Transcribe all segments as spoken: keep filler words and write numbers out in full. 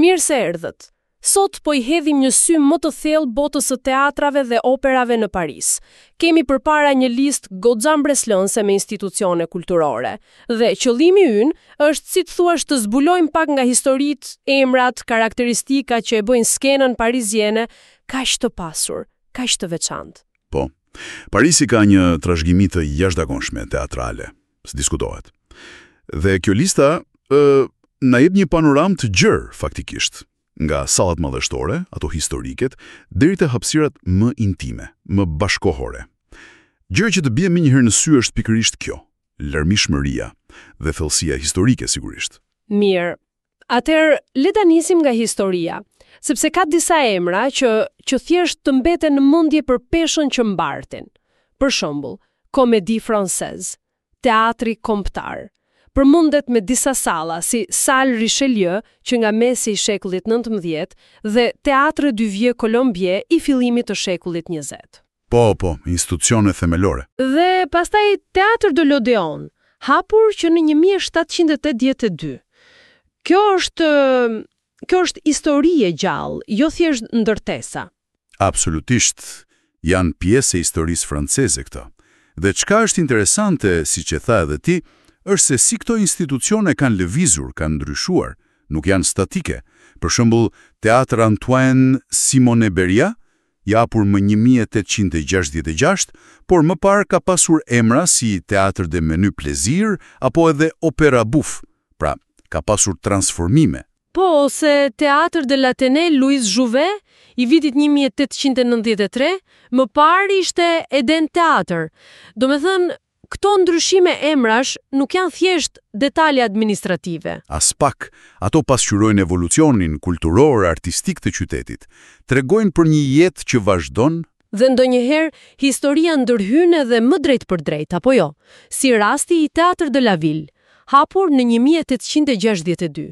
Mirë se erdhët. Sot po i hedhim një sy më të thellë botës së teatrave dhe operave në Paris. Kemi përpara një listë goxha mbresëlënëse me institucione kulturore. Dhe qëllimi ynë është, si të thuash, të zbulojmë pak nga historitë, emrat, karakteristikat që e bëjnë skenën pariziene kaq të pasur, kaq të veçantë. Po. Parisi ka një trashëgimi të jashtëzakonshme teatrale, s'diskutohet. Dhe kjo lista ë na jep një panoramë të gjerë faktikisht, nga sallat madhështore, ato historiket, deri te hapësirat më intime, më bashkohore. Gjëja që të bie më njëherë në sy është pikërisht kjo, larmishmëria dhe thellësia historike sigurisht. Mirë. Atëherë, le ta nisim nga historia, sepse ka disa emra që që thjesht të mbeten në mendje për peshën që mbartin. Për shembull, Comédie Française, Teatri Kombëtar, përmendet me disa salla si Salle Richelieu që nga mesi i shekullit nëntëmbëdhjetë dhe Théâtre du Vieux Colombier i fillimit të shekullit njëzet. Po, po, institucione themelore. Dhe pastaj Théâtre de l'Odéon, hapur që në një mijë e shtatëqind e tetëdhjetë e dy. Kjo është kjo është histori e gjallë, jo thjesht ndërtesa. Absolutisht, janë pjesë e historisë franceze këto. Dhe çka është interesante, siç e tha edhe ti, është se si këto institucione kanë lëvizur, kanë ndryshuar, nuk janë statike. Për shembull, Théâtre Antoine Simon-Berriat, i hapur më një mijë e tetëqind e gjashtëdhjetë e gjashtë, por më parë ka pasur emra si Théâtre des Menus Plaisirs apo edhe Opéra Bouffes. Pra, ka pasur transformime. Po, ose Théâtre de l'Athénée Louis Jouvet i vitit një mijë e tetëqind e nëntëdhjetë e tre, më parë ishte Eden Theater. Do me thënë, këto ndryshime emrash nuk janë thjesht detalje administrative. Aspak, ato pasqyrojnë evolucionin kulturor, artistik të qytetit. Tregojnë për një jetë që vazhdon. Dhe ndonjëherë, historia ndërhyn edhe më drejt për drejt, apo jo? Si rasti i Théâtre de la Ville, hapur në një mijë e tetëqind e gjashtëdhjetë e dy.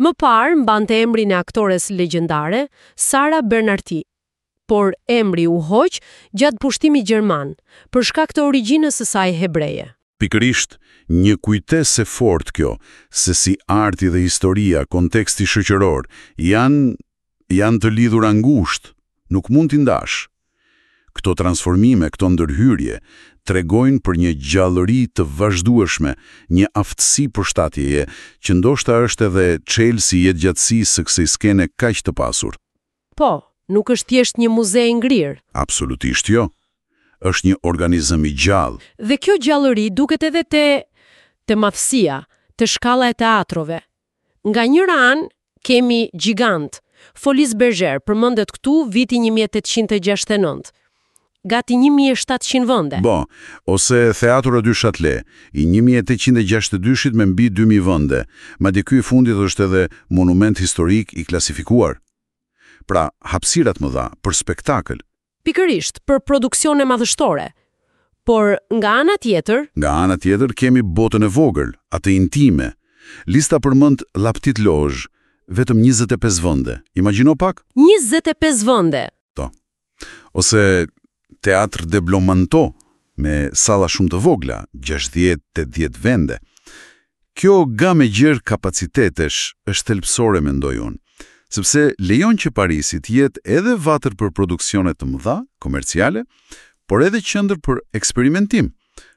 Më parë mbante emrin e aktores legjendare, Sara Bernardi. Por emri u hoq gjatë pushtimit gjerman, për shkak të origjinës së saj hebreje. Pikërisht, një kujtesë e fortë kjo, se si arti dhe historia, konteksti shoqëror, janë, janë të lidhura ngushtë, nuk mund t'i ndash. Këto transformime, këto ndërhyrje, tregojnë për një gjallëri të vazhdueshme, një aftësi përshtatjeje, që ndoshta është edhe çelësi i jetëgjatësisë së kësaj skene kaq të pasur. Po, nuk është thjesht një muze i ngrirë. Absolutisht jo. Është një organizëm i gjallë. Dhe kjo gjallëri duket edhe te te madhësia, te shkalla e teatrove. Nga njëra anë kemi gjigant, Folies Bergère përmendet këtu viti një mijë e tetëqind e gjashtëdhjetë e nëntë. Gati një mijë e shtatëqind vende. Bo, ose Théâtre du Châtelet, i një mijë e tetëqind e gjashtëdhjetë e dyshit me mbi dy mijë vende, madje ky i fundit është edhe monument historik i klasifikuar. Pra, hapësirat mëdha për spektakël. Pikërisht, për produksione madhështore. Por nga ana tjetër, Nga ana tjetër kemi botën e vogël, atë intime. Lista përmend La Petite Loge, vetëm njëzet e pesë vende. Imagjino pak? njëzet e pesë vende. Po. Ose Théâtre des Blancs-Manteaux, me salla shumë të vogla, gjashtëdhjetë tetëdhjetë vende. Kjo gamë e gjerë kapacitetesh është thelbësore, mendoj unë, sepse lejon që Parisi të jetë edhe vatër për produksione të mëdha, komerciale, por edhe qendër për eksperimentim,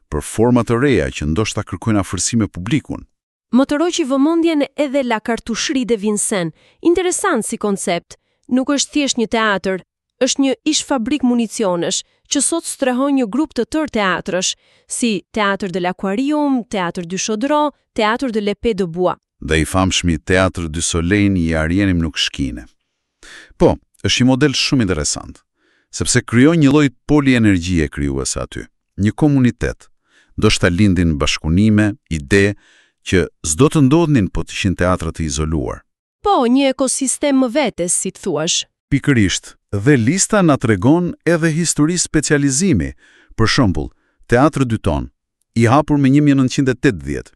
për forma të reja që ndoshta kërkojnë afërsi me publikun. Më tërhoqi vëmendjen edhe La Cartoucherie de Vincennes. Interesant si koncept. Nuk është thjesht një teatr, është një ish fabrik municionesh që sot strehon një grup të tërë teatrësh, si Théâtre de l'Aquarium, Théâtre du Chaudron, Théâtre de l'Épée de Bois. Dhe i famshmi Théâtre du Soleil i Ariane Mnouchkine. Po, është një model shumë interesant, sepse krijon një lloj polienergjie krijuese aty, një komunitet, ndoshta lindin bashkëpunime, ide që s'do të ndodhnin po të ishin teatra të izoluar. Po, një ekosistem më vete, si të thuash. Pikërisht, dhe lista na tregon edhe histori specializimi. Për shembull, Théâtre du Thon, i hapur më një mijë e nëntëqind e tetëdhjetë.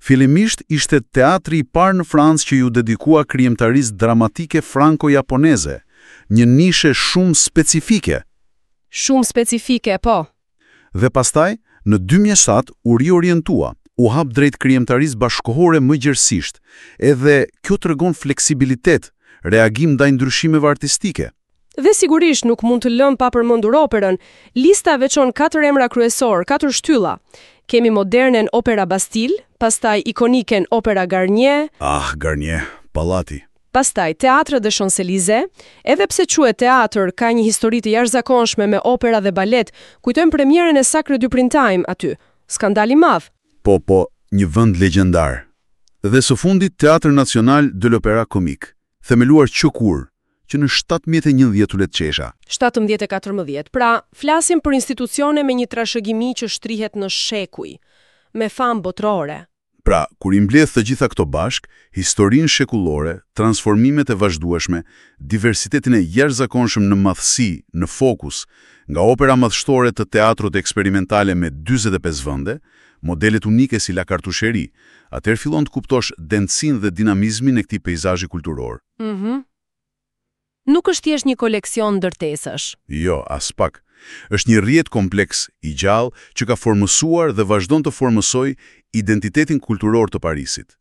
Fillimisht ishte teatri i parë në Francë që iu dedikua krijimtarisë dramatike franko-japoneze, një nishe shumë specifike. Shumë specifike, po. Dhe pastaj, në dy mijë e shtatë u riorientua, u hap drejt krijimtarisë bashkohore më gjerësisht. Edhe kjo tregon fleksibilitet, reagim ndaj ndryshimeve artistike. Dhe sigurisht nuk mund të lëmë pa përmendur operën. Lista veçon katër emra kryesor, katër shtylla. Kemi modernen Opera Bastille, pastaj ikoniken Opera Garnier, Ah, Garnier, pallati. pastaj Théâtre des Champs-Élysées. Edhe pse quhet teatr, ka një histori të jashtëzakonshme me opera dhe balet. Kujtojmë premierën e Sacre du Printemps aty. Skandal i madh. Po, po, një vend legjendar. Dhe së fundit Théâtre National de l'Opéra Comique, themeluar që kur, që në shtatëmbëdhjetë e njëmbëdhjetë qesha. shtatëmbëdhjetë e katërmbëdhjetë. Pra, flasim për institucione me një trashëgimi që shtrihet në shekuj, me famë botërore. Pra, kur i mbledh të gjitha këto bashk, historinë shekullore, transformimet e vazhdueshme, diversitetin e jashtëzakonshëm në madhësi, në fokus, nga opera madhështore të teatrot eksperimentale me dyzet e pesë vende, modelet unike si La Cartoucherie, atëherë fillon të kuptosh dendësinë dhe dinamizmin e këtij peizazhi kulturor. Mhm. Nuk është thjesht një koleksion ndërtesash. Jo, as pak. Është një rrjet kompleks i gjallë që ka formësuar dhe vazhdon të formësoj identitetin kulturor të Parisit.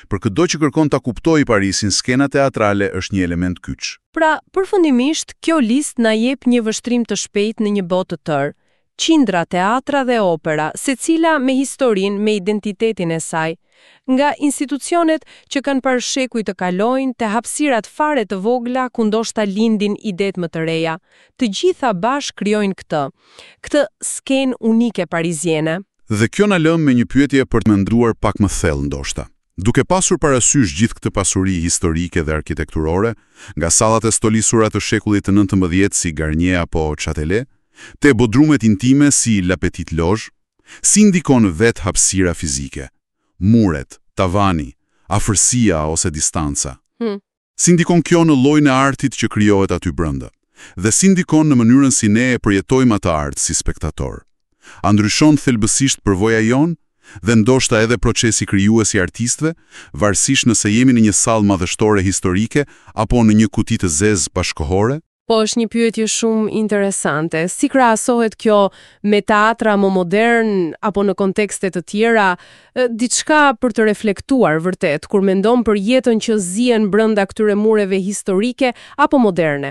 Për këdo që kërkon ta kuptojë Parisin, skena teatrale është një element kyç. Pra, përfundimisht, kjo listë na jep një vështrim të shpejtë në një botë të tërë. Qindra teatra dhe opera, secila me historinë, me identitetin e saj. Nga institucionet që kanë parë shekuj të kalojnë, te hapësirat fare të vogla ku ndoshta lindin idetë më të reja. Të gjitha bashkë krijojnë këtë, këtë skenë unike pariziene. Dhe kjo na lë me një pyetje për të menduar pak më thellë ndoshta. Duke pasur parasysh gjithë këtë pasuri historike dhe arkitekturore, nga sallat e stolisura të shekullit të nëntëmbëdhjetë si Garnier apo Châtelet, te bodrumet intime si La Petite Loge, si ndikon vetë hapësira fizike, muret, tavani, afërsia ose distanca. Hmm. Si ndikon kjo në llojin e artit që krijohet aty brenda? Dhe si ndikon në mënyrën si ne e përjetojmë atë art si spektator? A ndryshon thelbësisht përvoja jonë? Dhe ndoshta edhe procesi krijues i artistëve, varësisht nëse jemi në një sallë madhështore historike apo në një kuti të zezë bashkëkohore? Po, është një pyetje shumë interesante. Si krahasohet kjo me teatra më modern apo në kontekste të tjera? E, Diçka për të reflektuar vërtet kur mendon për jetën që zien brenda këtyre mureve historike apo moderne.